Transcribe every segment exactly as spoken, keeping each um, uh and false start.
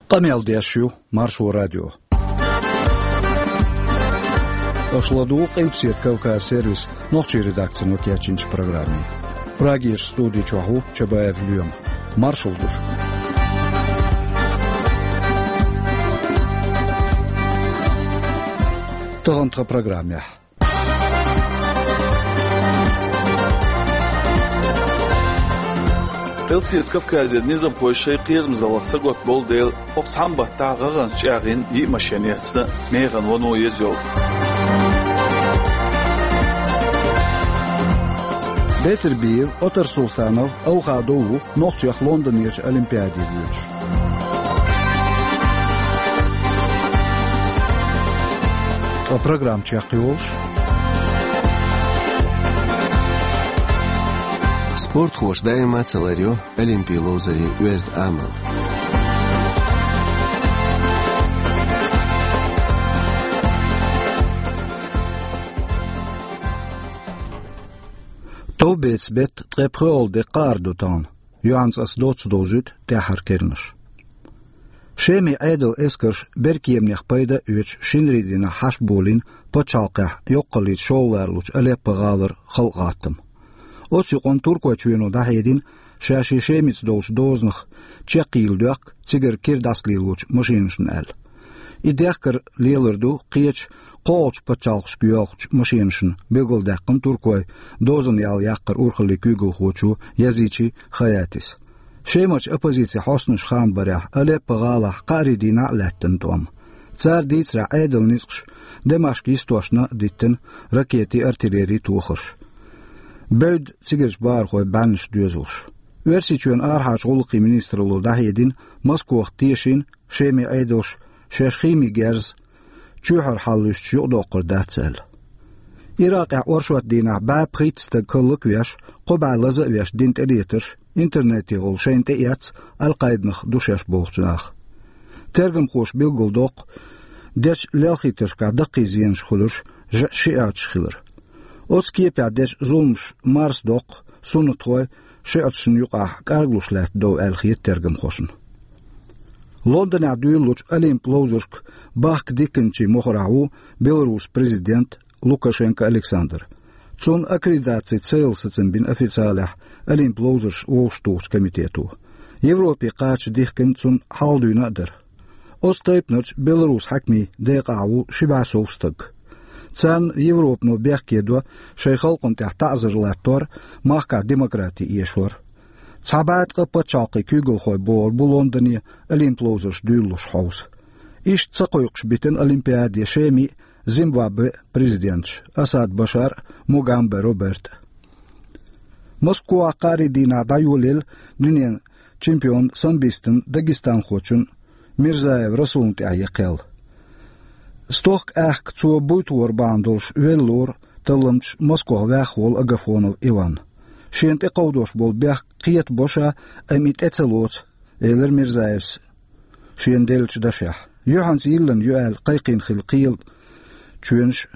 Къамел деш ю Маршо радио. Аша ладугӀу Къилбаседа Кавказ сервисан нохчийн редакцино кечйинчу программе. Прагерчу студи чохь ву Чабаев Лоьма. Маршалла ду шуьга. Тахана тхан программехь. Къилбаседа Кавказера низамхой шайн кхерамзаллах сагатбовлу дела, хӀокху цхьана баттахь гӀагӀанца чӀагӀйина йиъ машен эцна, механа вуно еза йолу. Бетарбиев Отар Султанов Авхадов ву нохчех Лондонерчу Олимпиаде воьдуш. Ткъа программа чекхйолуш. Спортхоша даима а ца ларйо олимпийн ловзарийн оьзда амал. Товбеца беттан ткъе пхоьалгӀа де кхаара ду тахана. Юьхьанца аса доцца довзуьйту тӀаьххьара керланаш. Шеман Ӏедалан эскарша беркеманех пайда а оьцуш, шинарин дийнахь хьашт болийна пачхьалкхехь йоккхаллица шолгӀа ларалучу Алеппо-гӀалара халкъан гӀаттам. Оцу юкъанна Туркойчоьно дӀахьедина, ша шен Шемица долчу дозанах чекхъяла доьхку цигара кира дӀасалелочу машенашна аьлла. И дехкар лелар ду кхечу кхоалгӀачу пачхьалкхашка йоьлхучу машенашна, билгалдаьккхина Туркойн дозанна ял яккхаран урхаллин куьйгалхочо Язичи Хаятис. Шемарчу оппозицин хьостанаша хаам барехь, Алеппо-гӀалахь кхаарин дийнахь а лаьттина тӀом. Цара дийцарехь, Ӏедалан ницкъаша Дамашк йистошна а диттина ракетийн, артиллерийн тохарш. Бевдда цигарчу бахархойн бӀеннаш доьзалш. Оьрсийчоьнан арахьарчу гӀуллакхийн министралло дӀахьедина, Москвах тешийна Шеман Ӏедалша шаьш химин герз чоьхьара хьалалуьстуш юкъадоккхур дац аьлла. Иракъехь оршот дийнахь бӀе пхийтта стаг хӀаллаквеш, кхо бӀе лаза а веш дина тӀелетарш интернетехула шайна тӀеэцна Аль-Къаидах ду шаьш бохучу наха. Тергамхоша билгалдоккху, дечу лелхийтаршкахь даккхий зенаш хуьлурш жаьӀ шиӀаташ хилар. Оцу кепехь дечу зуламаша марсадоккху суннатхой шиӀаташна юкъахь кӀаргалуш лаьтта дов аьлла хета тергамхошна. Лондонехь дуьйлалучу Олимп ловзаршка бахка дихкинчийн мохарехь ву Беларусин президент Лукашенко Александр. Цунна аккредитацин цӀе яла сацам бина официалехь Олимп ловзарш вовшахтухучу комитето. Европе кхача дихкина цунна хьалха дуьйна а дара. Оцу тайпанарчу Беларусин хьаькамийн декъахь ву ши бӀе сов стаг. Царна Европано бехке до шайн халкъана тӀехь таӀзар латтор, махкахь демократи эшор. Цхьа бӀе ткъа пачхьалкхийн куьйгалхой богӀур бу Лондоне Олимп ловзарш дуьйлалуш хьовса. Иштта ца кхойкхуш битина Олимпиаде Шеман а, Зимбабвен а президенташ Асад Башар а, Мугамбе Роберт а. Москвахь кхаарин дийнахь дӀайолаелла дуьненан чемпион самбистан, дагестанхочун Мирзаев Расулан тӀехь я кхел. Стохка аьхка цо буьйта вар бахьана долуш велла лору талламчаш Москвахь ваьхна волу Агафонов Иван. Шена тӀекховдош болу бехк кхетабо ша, амма и тӀе ца лоцу, элира Мирзаевс шена деллачу дашехь. Юьхьанца йиллина ю аьлла кхайкхийна хилла кхелан чоьнаш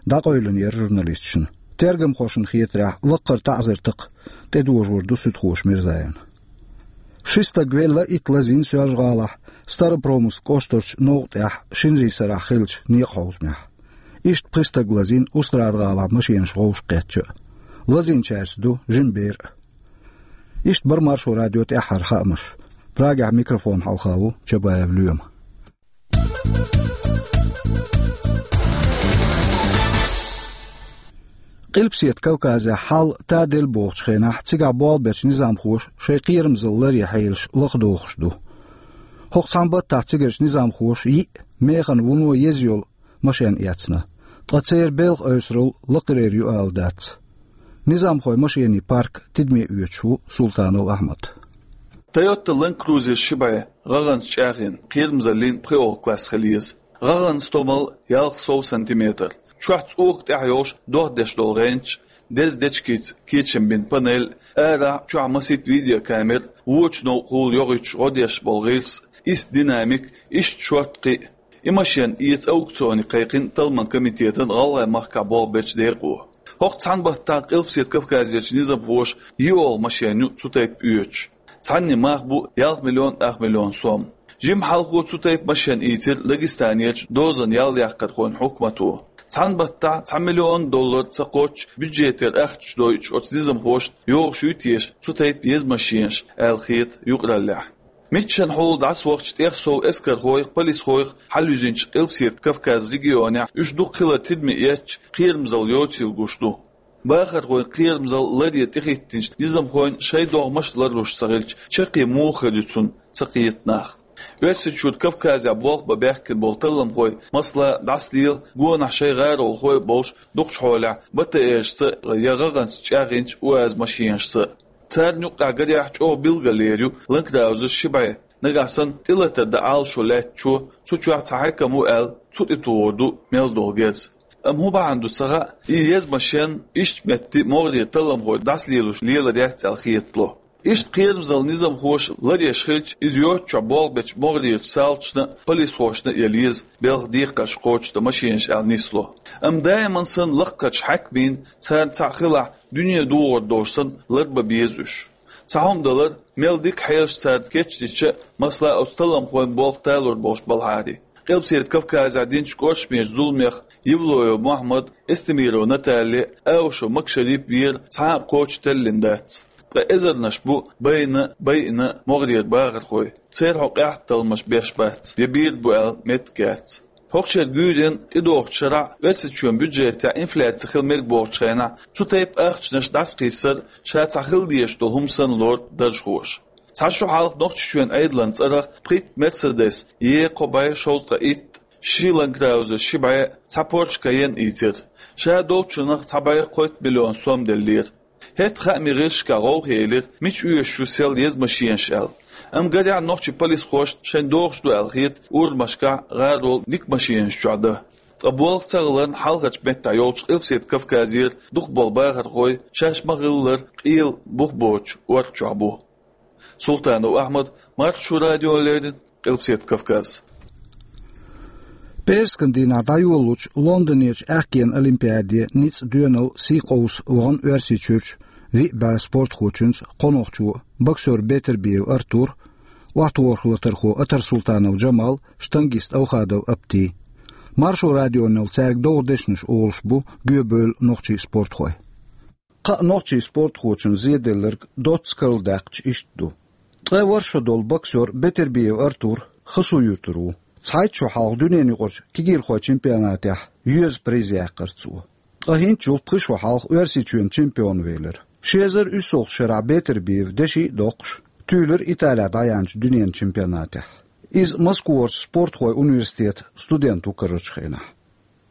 дӀакъевлина яра журналисташна. Тергамхошна хетарехь, лаккхара таӀзар такха тӀедожор ду суьдхоша Мирзаевна. Ши стаг велла, итт лазийна Соьлжа-ГӀалахь, Старопромыслан кӀоштарчу новкъа тӀехь шинарийн сарахь хиллачу некъан хьовзамехь. Иштта пхи стаг лазийна Устрада-ГӀалахь машенаш вовшахкхетча а. Лазийначаьрца ду жима бер а. Иштта бара Маршо радион тӀаьххьара хаамаш. Прагехь микрофон хьалха ву Чабаев Лоьма. Къилбаседа Кавказехь хьал таделла бохучу хенахь, цигахь болх бечу низамхоша шайн кхерамзалла ларъян хьелаш лахадохуш ду. ХӀокху цхьана баттахь цигарчу низамхоша йиъ, механа вуно еза йолу машен эцна. Ткъа церан белхан ойсуралла лакхарера ю ала дац. Низамхойн машенийн парк тидаме оьцуш ву Султанов Ахьмад. Toyota Land Cruiser ши бӀе гӀагӀанца чӀагӀйина, кхерамзаллин пхоьалгӀа класс хила еза. ГӀагӀан стомал ялх сов сантиметр. Чохь цӀока тӀехь йолуш дохдеш долу гӀенч, деза дечкица кечам бина панель, арахь, чохь масийтта видеокамера, вочу новкъахула йохуьйтуш гӀо деш болу гӀирс, иштта динамик, иштта шорта кхин а. И машен эца аукционе кхайкхина талламан комитетан ГӀалгӀай махкахь болх бечу декъо. ХӀокху цхьана баттахь Къилбаседа Кавказерчу низамхоша йиъолгӀа машен ю цу тайпа оьцуш. Цхьаннан мах бу ялх миллион ах миллион сом. Жимма хьалха цу тайпа машен ийцира Дагестанерчу дозанан ял яккхархойн хьукмато. Цхьана баттахь цхьа миллион доллар ца кхоччуш бюджетера ахча дойтуш оцу низамхошна йогӀуш ю теша цу тайпа еза машенаш аьлла хета юкъараллехь. Миччанхьа хьула дӀасавахча тӀех сов эскархойх, полисхойх хьалаюзинчу Къилбаседа Кавказ регионехь уьш дукха хилар тидаме эцча, кхерамзалла йоцийла гуш ду. Бахархойн кхерамзалла ларъе тӀехӀиттинчу низамхойн шайн догӀмаш а ларлуш ца хилча, чаккхе муха хир ю цунна ца кхета нах. Оьрсийчуьра Кавказехь болх бан баьхкина болу талламхой, масала, дӀасалела гонахь шайн гӀаролхой а болуш, дукхачу хьолехь БТР-шца я гӀагӀанца чӀагӀйинчу УАЗ-машенашца а. Царна юккъехь гарехь чӀогӀа билгалъер ю ланкраузер ши бӀе. Нагахь санна тӀелатар дан Ӏалашо лаьттачо, цу чохь цхьа хьаькам ву аьлла, цу тӀе тухур ду мел долу герз. Амма хӀун бахьана ду ца хаьа, и еза машен иштта метте могӀарера талламхой дӀасалелуш лелар яц аьлла хетало. Иштта кхерамзалла низамхоша ларъеш хилча, иза йоццучохь болх бечу могӀарерчу салташна а, полисхошна а яла еза белхан декхарш кхочушдан машенаш аьлла нисло. Амма даиман санна лаккхарчу хьаькамийн, царна цхьаъ хилахь, дуьне духур долуш санна, ларбан беза уьш. Цхьа хӀума далар, мел дика хьелаш царна кечдича а, масала, оцу талламхойн болх талор болуш балахьара. Къилбаседа Кавказехь динчу кӀоршамечу зуламех Евлоев Мохьмад, Эстемирова Наталья, Аушев Макшарип вер цхьа а кхочуш теллина дац. Ткъа эзарнаш бу байна а, байина а могӀарера бахархой, церан хьо къаьхьа талламаш беш бац, я бийр бу аьлла меттиг яц. ХӀокху шеран гуьйренна тӀедогӀучу шарахь Оьрсийчоьнан бюджетехь инфляци хила мега бохучу хенахь, цу тайпа ахчанаш дӀасакхиссар ша цхьа хила дезаш долу хӀума санна лору даржхоша. Цхьа шо хьалха Нохчийчоьнан Ӏедалан цӀарах пхийтта Мерседес, е кхо бӀе шовзткъе итт, ши Ланкраузер ши бӀе, цхьа Порш Кайен ийцира. Ша долчунах цхьа бӀе кхойтта миллион сом деллера. ХӀетахь хаамийн гӀирсашкахь гӀовгӀа елира, мича оьшуш ю сел еза машенаш аьлла. Амма гарехь нохчийн полисхошна шайна догӀуш ду аьлла хета урамашкахь гӀарол дика машенаш чохь дан. Ткъа болх ца хиларна хьалхарчу меттехь йолчу Къилбаседа Кавказера дукхахболу бахархой шаьш ма-хиллара къела бух боцучу орца чохь бу. Султанов Ахьмад, Маршо радиона леррина, Къилбаседа Кавказ. Пхьерскан дийнахь дӀайолалучу Лондонерчу аьхкенан олимпиаде ницкъ доьналла сий къовса вахана Оьрсийчуьрчу виъ бӀе спортхочуьнца кхо нохчо: боксер Бетарбиев Артур, охьатохарх латархо Атарсултанов Джамал, штангист Аухадов Апти. Маршо радионал цаьрга догӀу дешнаш олуш бу гоьбевлла нохчийн спортхой. Кхаа нохчийн спортхочун зеделларг доцца карладаьккхича иштта ду. Ткъе ворхӀ шо долу боксер Бетербиев Артур Хасу-Юьртара ву. Цхьайтта шо хьалха дуьненаюкъарчу кегийрхойн чемпионатехь йоьзна приз яьккхира цо. Ткъа хӀинцачул пхи шо хьалха Оьрсийчоьнан чемпион велира. Ши эзар уьссалгӀачу шарахь Бетербиев, деши а доккхуш, туьйлира Италехь дӀаяьхьначу дуьненан чемпионатехь. Иза Москварчу спортхойн университетан студент ву карарчу хенахь.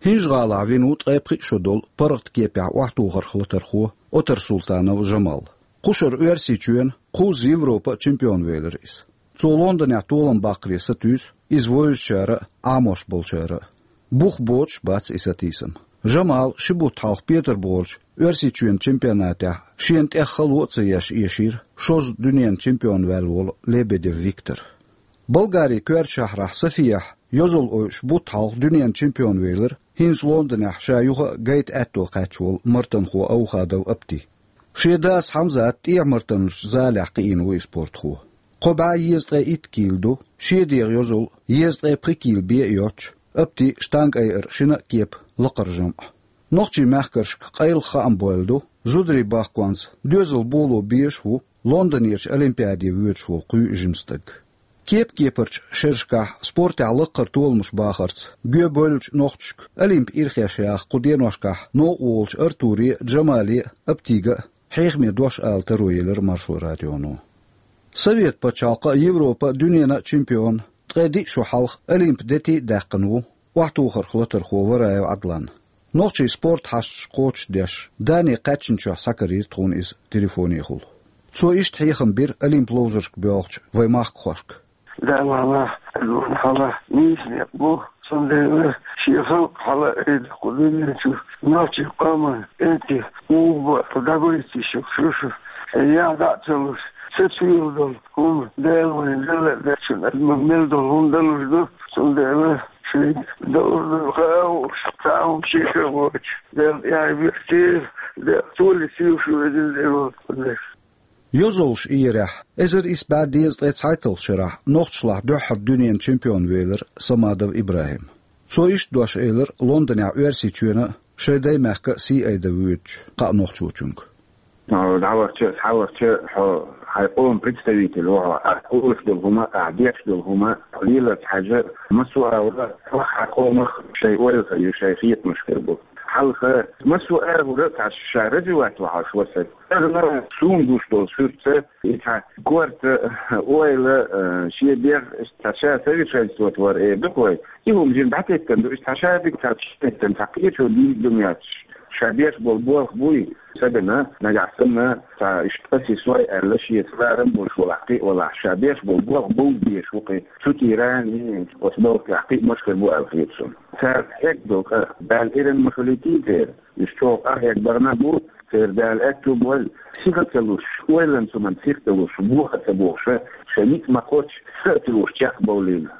ХӀинжа-ГӀалахь вина ву ткъе пхиъ шо долу паргӀат кепехь охьатохарх латархо Отарсултанов Жамал. Кхушара Оьрсийчоьнан, кхузза Европан а чемпион велира иза. Цо Лондонехь толам баккхаре сатуьйсу иза вевзачара а, Ӏамош болчара а. Бух боцуш а бац и сатийсам. Жамала ши бутт хьалха Петарбухарчу Оьрсийчоьнан чемпионатехь шена тӀех хало а ца еш эшийра шозза дуьненан чемпион ваьлла волу Лебедев Виктор. Болгарин коьртачу шахьрахь Софияхь йозалла ойуш бутт хьалха дуьненан чемпион велира хӀинца Лондонехь ша юха а гайта аьтто кхаьчна волу мартанхо Аухадов Апти. Шен дас Хьамзат тӀехьа мартанчу залехь кхиийна ву и спортхо. Кхо бӀе езткъе итт кийла ду, шен дегӀан йозалла езткъе пхи кийла бен а йоццуш, Апти штанга айар шина а кепа лакхара жамӀ. Нохчийн мехкаршка къайлаха хаам бойла ду, зударийн бахконца доьзал боло безаш а ву Лондонерчу олимпиаде воьдуш волу кхо жима стаг. Кеп-кепарчу шерашкахь спортехь лакхара толамаш бахарца гоьбевллачу нохчашка олимпийн ирхеш яха кху деношкахь новкъа волчу Артуре а, Джамале а, Аптига а хьехаме дош ала таро елира Маршо радионо. Совет пачхьалкхан а, Европан а, дуьненан а чемпион, ткъе диъ шо хьалха олимпан дети а даьккхина ву охьатохарх латархо Вараев Ӏадлан. Нохчийн спорт хьашташ кхочушдеш, Дане кхаьчначохь схьакарийра тхуна иза телефонехула. Цо иштта хьехам бира олимпан ловзаршка боьлхучу вайн махкахошка. Дала хьалха нийса некъ бу, цундела шен халкъ хьалаайда кху дуьнен чу, нохчийн къоман кӀентий муха бу дӀагойтуш ю шу. Яхь дӀа а ца луш, сацийла долу хӀума Дала вайна делла а дечун, мел долу хӀума далуш ду, цундела шайга дала ду, хаа а хууш, цхьа а хӀума шеко а воцуш, Дала тӀаьхье биртийла, Дала толе сийла шу везина Дела волчу. Йозаллаш иерехь, эзар исс бӀаь дезткъе цхьайтталгӀачу шарахь нохчашлахь дуьххьара дуьненан чемпион велира Самадов ИбрахӀим. Цо иштта дош элира Лондонехь Оьрсийчоьнан а, шайн даймехкан а сий айда воьдучу кхаа нохчочуьнга. Ну, дӀавахча а, схьавахча а, хьо хьайн къоман представитель ву хьо. Ахь олуш долу хӀума, ахь деш долу хӀума леларца хьажа, массо а агӀора хьо хьан къомах шайн ойла хир ю, шайн хетамаш хир бу. Хьалха массо а агӀора цхьа ша развивать ву хьо, ша васар. Тахана суна гуш долу суьртаца, и цхьа корта, ойла, э, шен бех, цхьа ша совершенствовать вара, э, дукха вай. И хӀума жин дӀатеттан ду, иштта цхьа шадерг цхьа чӀогӀа теттан, цхьа кхечо дийна ду моьттуш. Ша беш болу болх буй, сагана, нагахь санна, цхьа иштта аса сой аьлла, шеца ларам болуш валахь, кхин а валахь, ша беш болу болх бовла дезаш ву кхин. Цу тӀера, оцу болхехь кхин а машкар бу аьлла хета суна. Цара хьегна долу къа, Дала эрна ма хуьлуьйтий церан. Уьш чӀогӀа къахьега бахана бу, церан Дала аьтту бойла, сиха ца луш, ойланца хӀуманца сиха ца луш, бохар ца бохуш, шайн ницкъ ма кхоччу, са а ца луш чекхбовлийла.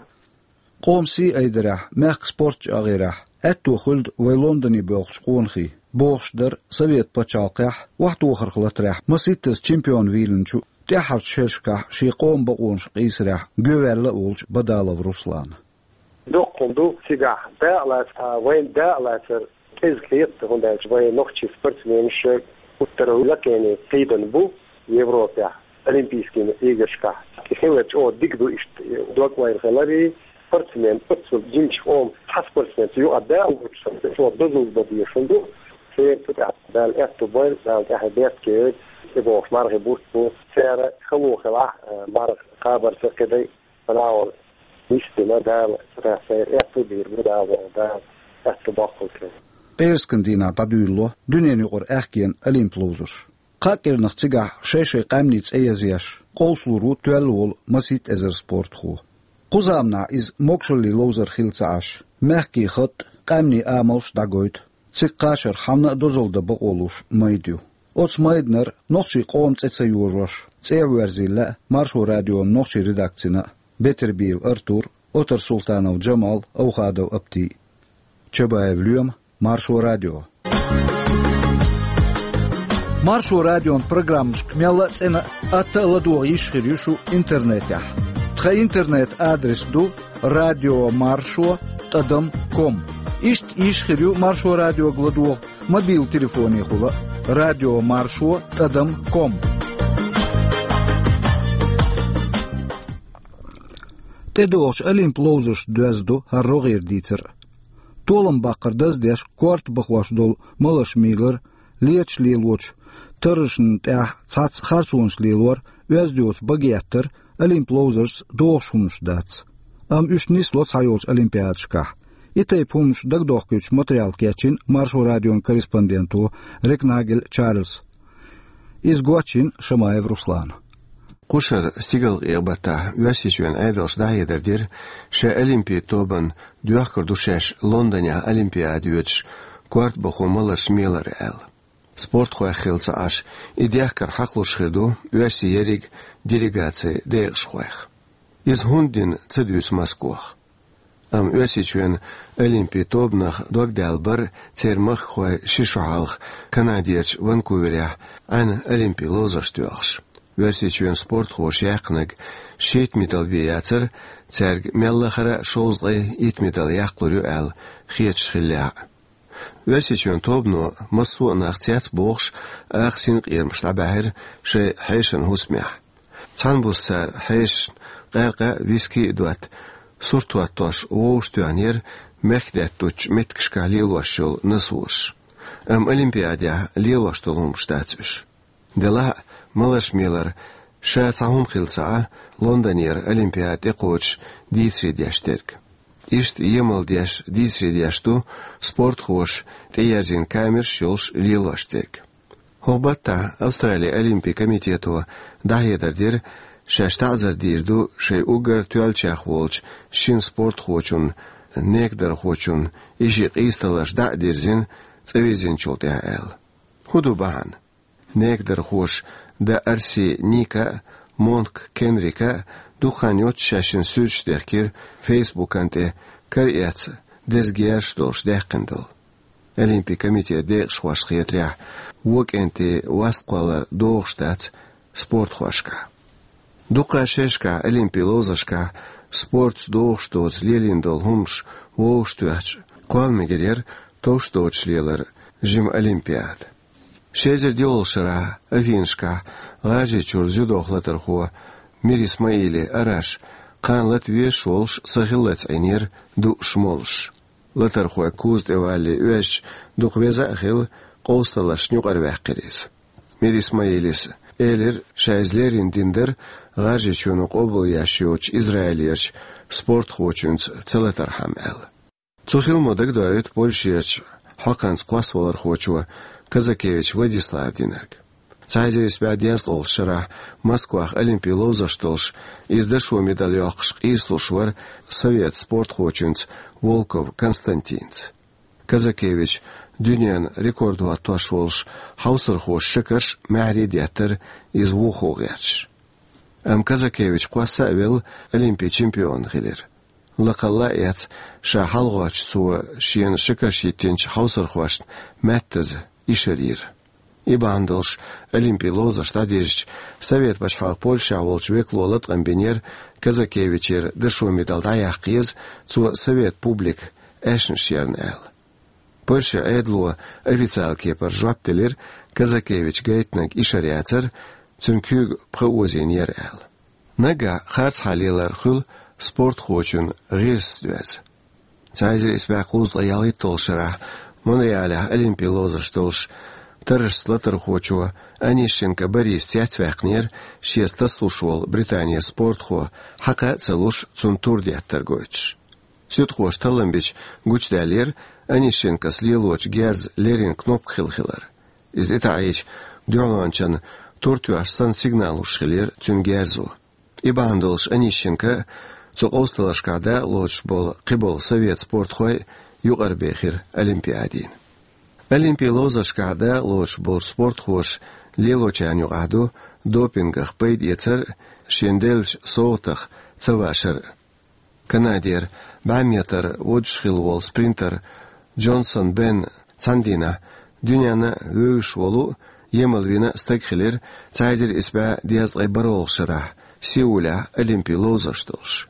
Къоман сий айдарехь, мехкан спорт чӀагӀъярехь аьтто хуьлда вай Лондоне боьлхучу къонахийн, бохуш дара Совет пачхьалкхехь охьатохарх латарехь масийттаза чемпион вийлинчу, тӀаьххьарчу шерашкахь шен къоман бакъонаш къийсарехь гӀоьваьлла а волчу Бадалов Руслана. Доккха хӀума ду цигахь дакъа лаца, вайна дакъа лацар кӀезиг хета, хӀунда аьлча вайн нохчийн спортсменаш гуттара а лакхене кхийдина бу Европехь, Олимпийскийн играшкахь. И хилар чӀогӀа дика ду иштта, дог-ойла хилар и, спортсмен оццул динчу къоман цхьа спортсмен цу юкъа дакъа лоцуш санна, чӀогӀа дозалла бан дезаш хӀума ду. Церан цу тӀехь Дала аьтту бойла, Дала тӀаьхье беркате йойла, и бохуш мархи бутт бу. Церан хало хилахь, марха кхабарца кхидӀа а, Ӏа вала йистина Дала, цу тӀехь сайра аьтту а дийр бу Дала, Дала аьтту боккхалц. Пхьерскан дийнахь дӀадуьйлало дуьненаюкъара аьхкенан олимп ловзарш. Кхаа кӀирнах цигахь шай-шай къаьмнийн цӀе язъеш, къовсалур ву тоьлла волу масийтта эзар спортхо. Кху заманахь иза могашаллин ловзар хилла ца Ӏаш, мехкийн хатӀ а, къаьмнийн амалш а дӀагойту. Цига кхачар хьанна а дозалла дан бакъо луш майда ю. Оцу майданара нохчийн къоман цӀе ца йожош, цӀе а верзийла лаьа Маршо радион нохчийн редакцина а, Бетарбиев Артур а, Отарсултанов Джамал а, Овхадов Апти а. Чабаев Лоьма, Маршо радио. Маршо радион программашка мелла а цӀена а, атта а ладогӀа йиш хир ю шу интернетехь. Тхан интернет-адрес ду радиомаршо тӀадам ком. Иштта йиш хир ю Маршо радиога ладогӀа мобил телефонехула а, радиомаршо тӀадам ком. ТӀедогӀучу олимп ловзаршна доьзна ду хӀара рогӀера дийцар а. Толам баккхар даздеш, корта бахош долу маларш мийлар, леташ лелочу таррашна тӀехь цхьацца харцонаш лелор, оьзда йоцу багеттар олимп ловзаршца догӀуш хӀуманаш дац. Амма уьш нисло цхьайолчу олимпиадашкахь. И тайпа хӀуманаш дагадохкуьйтуш материал кечйина Маршо радион корреспонденто Рекнагель Чарльза. Иза гочйина Шамаев Руслана. Кху шарахь стигалкъекъа баттахь Оьрсийчоьнан Ӏедалша дӀахьедар дира, шайн олимпийн тобанна доьхкур ду шаьш Лондонехь олимпиада йоьдуш, корта бахо маларш мелар аьлла. Спортхойх хилла ца Ӏаш, и дехкар хьакхалуш хир ду оьрсийн ерриг делегацийн декъашхойх. Иза хӀунда дина ца дуьйцу Москвахь. Амма Оьрсийчоьнан олимпийн тобанах догдаьлла бара церан махкахой ши шо хьалха Канадерчу Ванкуверехь Ӏаьнан олимпийн ловзарш доьлхуш. Оьрсийчоьнан спортхоша яьккхинарг шийтта медаль бен яцара, цаьрга мелла а хара шовзткъе итт медаль яккхалур ю аьлла хеташ хиллехь а. Оьрсийчоьнан тобано массо а нах цецбохуш, акха синкъерамаш дӀабаьхьира шайн хьешан хӀусамехь. Цхьана буса цара хьешашна къаьркъа а, виски а дотта, сурт хӀоттош вовшахтоьхнера мехкдаьттучу меттигашкахь лелош йолу носоварш. Амма олимпиадехь лелош долу хӀуманаш дац уьш. Делахь а, маларш мелар ша цхьа хӀума хилла ца Ӏа Лондонера олимпиада тӀекхочуш дийцаре деш дерг. Иштта емал деш, дийцаре деш ду спортхоша тӀеерзийна камераш йолуш лелош дерг. ХӀокху баттахь Австралин олимпийн комитето дӀахьедар дира, шаьш таӀзар дийр ду шайн уггар тоьллачех волчу шина спортхочунна, некадархочунна, и ши къийсадаларш дӀа а дирзина, цӀа вирзинчул тӀаьхьа аьлла. ХӀун ду бахьана? Некадархоша Д. Арси Ника а, Монк Кенрика а дукха хан йоццуш шаьшшинна суьрташ дехкира Фейсбукан тӀе, кара эцна деза герзаш долуш даьккхина долу. Олимпийн комитетан декъашхошна хетарехь, вон кӀентий васт кхоллар догӀуш дац спортхошкахь. Дукха шерашкахь Олимпийн ловзаршкахь спортца догӀуш доцу лелийна долу хӀуманаш вовшахтоьхча, кхолламегар яра товш доцуш лелара жима Олимпиада. Ши эзар диъолгӀачу шарахь Афинашкахь ГӀажарийчуьра дзюдох латархо Мир Исмаили Араш кхана лата везаш волуш сахиллалц Ӏийнера дууш молуш. Латархойн куза тӀе валале оьзча, дукха веза а хилла, къовсаллашна юкъара ваьккхира иза. Мир Исмаилис элира, ша иза леррина дина дара ГӀажарийчоьно къобалъеш йоцучу Израилерчу спортхочуьнца ца латархьама аьлла. Цу хиламо дагадоуьйту Польшерчу хьокханца кхоссавалархочо Казакевич Владислава динарг. Цхьа эзар исс бӀе дезткъолгӀачу шарахь Москвахь Олимпийн ловзарш долуш, иза дашо медаль йоккхуш къийсалуш вара совет спортхочуьнца Волков Константинца. Казакевич дуьненан рекорд хӀоттош волуш хьовсархоша шакарш а, маьхьарий а деттара иза вухо гӀерташ. Амма Казакевич кхосса а велла, Олимпийн чемпион хилира. Лакхалла а эцна, ша хьалагӀоттуш цо шена шакарш йиттинчу хьовсархошна маьттаза ишар йира. И бахьана долуш Олимпийн ловзарш дӀадирзича, Совет пачхьалкхан Польшехь волчу векало латкъам бинера Казакевичера дашо медаль дӀаяккха еза, цо совет публика аьшнаш ярна аьлла. Польшин Ӏедало официалан кепара жоп делира, Казакевича гайтинарг ишар яцара, цуьнан куьйга пха озийна яра аьлла. Наггахь харцхьа лелар хуьлу спортхочун гӀирсаца доьзна. Цхьа эзар исс бӀе кхузткъе ялхитталгӀачу шарахь Монреалехь Олимпийн ловзарш долуш, таррашца латархочо Онищенко Бориса цецваьккхинера шеца тасалуш волу Британин спортхо, хьакха а ца луш, цунна тур деттар гойтуш. Суьдхоша таллам бича гучудаьллера Онищенкос лелочу герзан леррина кнопка хилла хилар. Иза и таӀийча, дуьхьалончарна тур тоьхча санна сигнал луш хилира цуьнан герзо. И бахьана долуш Онищенко а, цу къовсаллашкахь дакъалоцуш болу кхиболу совет спортхой а юкъарабехира Олимпиадина. Олимпийн ловзаршкахь дакъалоцуш болчу спортхоша лелочарна юкъахь ду допингах пайдаэцар а, шена деллачу совгӀатах ца вашар а. Канадера бӀе метр водуш хилла волу спринтер Джонсон Бен цхьана дийнахь дуьненна вевзаш волу а, емал вина а стаг хилира цхьа эзар исс бӀе дезткъе бархӀалгӀачу шарахь Сеулехь Олимпийн ловзарш долуш.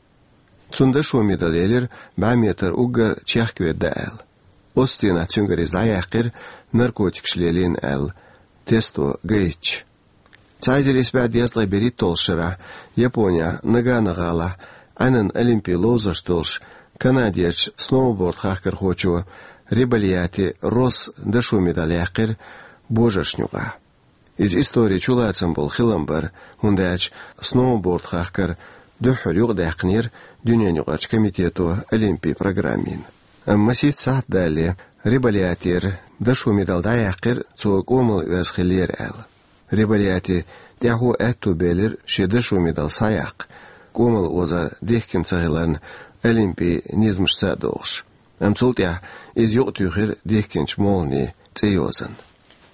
Цунна дашо медаль елира бӀе метр уггар чехка ведда аьлла. Оццу дийнахь цуьнгара иза дӀаяьккхира, наркотикаш лелийна аьлла, тесто гайтча. Цхьа эзар исс бӀе дезткъе берхӀитталгӀачу шарахь Японехь Нагано-гӀалахь Ӏаьнан Олимпийн ловзарш долуш канадерчу сноуборд-хахкархочо Рибальяти Росса дашо медаль яьккхира божаршна юкъахь. Иза историн чулацам болу хилам бара, хӀунда аьлча сноуборд-хахкар дуьххьара юкъадаьккхинера дуьненаюкъарчу комитето Олимпийн программина. Амма масийтта сахьт далале Рибальятера дашо медаль дӀаяьккхира, цо кӀомал оьзна хиллера аьлла. Рибальяти тӀаьхьо аьтту белира шен дашо медаль схьаяккха, кӀомал озор дихкина ца хиларна Олимпийн низамашца а догӀуш. Амма цул тӀаьхьа иза юкъатуьйхира дихкинчу молханийн цӀе йозанна.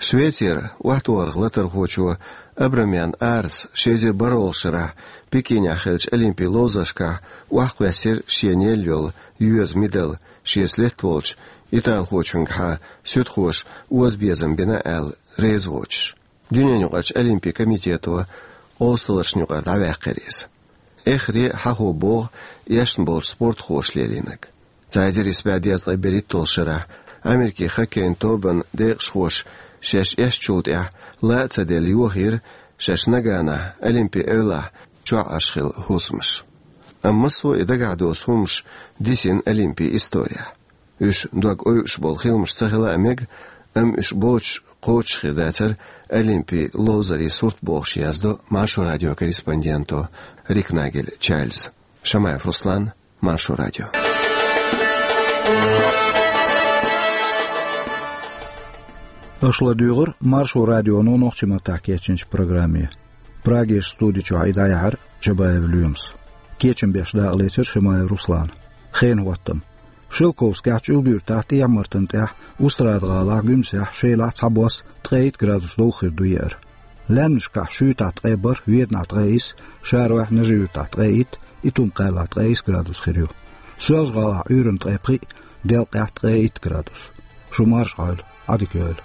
Швецера охьатохарх латархочо Абрамян Арса ши эзар бархӀалгӀачу шарахь Пекинехь хиллачу Олимпийн ловзаршкахь охьакхоьссира шена елла йолу йоьзан медаль шеца летта волчу италхочуьнгахьа суьдхоша озабезам бина аьлла реза воцуш. Дуьненаюкъарчу Олимпийн комитето къовсаллашна юкъара дӀаваьккхира иза. Эххар а хьахо богӀу эшна болчу спортхоша лелийнарг. Цхьа эзар исс бӀе дезткъе берхӀитталгӀачу шарахь Америкин хоккейн тобанан декъашхоша шаьш эшначул тӀаьхьа ла а ца делла йохийра шаьш Наганахь Олимпийн эвлахь чохь Ӏаш хилла хӀусамаш. Амма массо а и дагахь доцу хӀуманаш дисина Олимпийн исторехь. Уьш дог ойуш болу хиламаш ца хила а мега, амма уьш боцуш кхочушхир дацара Олимпийн ловзарийн сурт бохуш, яздо Маршо радион корреспонденто Рикнагель Чарльза. Шамаев Руслан, Маршо радио. Аша ладуьйгӀира Маршо радионо нохчийн маттахь кечйинчу программе. Прагерчу студи чохь и дӀаяьхьира Чабаев Лоьмас. Кечам беш дакъалецира Шамаев Руслана. Хенан хӀоттам. Шелковскехь, ЧӀуьлга-Юьртахь, ТӀехьа-Мартан тӀехь, Устрада-ГӀалахь, Гуьмсехь, Шелахь цхьабосса ткъе итт градус довха хир ду еара. Лаьмнашкахь Шуьйтахь ткъе бархӀ, Веданахь ткъе исс, Шаройхь, Нажи-Юьртахь ткъе итт, Итум-Кхаьллахь ткъе исс градус хир ю. Соьлжа-ГӀалахь, Ӏуьйранна ткъе пхиъ, Делкъехь ткъе итт градус. Шу марша Ӏойла, Ӏадика йойла.